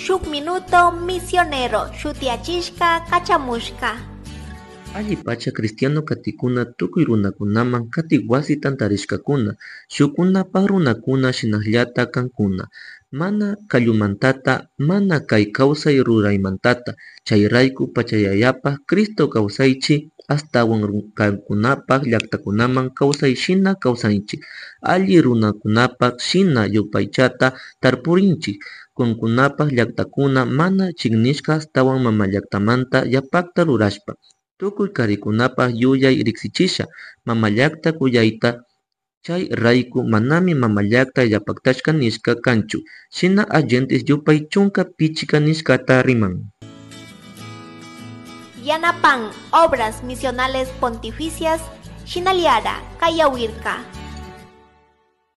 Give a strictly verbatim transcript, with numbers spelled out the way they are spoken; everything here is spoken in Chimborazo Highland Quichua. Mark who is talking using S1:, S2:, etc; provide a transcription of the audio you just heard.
S1: Shuk Minuto Misionero shutiyachishka kachamushka.
S2: Alli pacha cristiano katikuna tukuy runakunaman katik wasi tantarishkakuna shukkunapak runakuna shinallata kankuna mana kallumantata mana kay kawsay ruraymantata chayrayku pachayayapak Cristo kawsaychi ashtawan kankunapak llaktakunaman kawsay shina kawsanchik alli runakunapak shina yupaychata tarpurinchik kankunapak llaktakuna mana chiknishka ashtawan mamallaktamanta yapakta rurashpa tukuy karikunapak yuyay riksichisha mamallakta kuyayta chay rayku manami mamallakta yapaktashka nishka kanchu shina agentes yupay chunka pichka nishkata riman.
S1: Yanapan Obras Misionales Pontificias Shinaliara Kayawirka.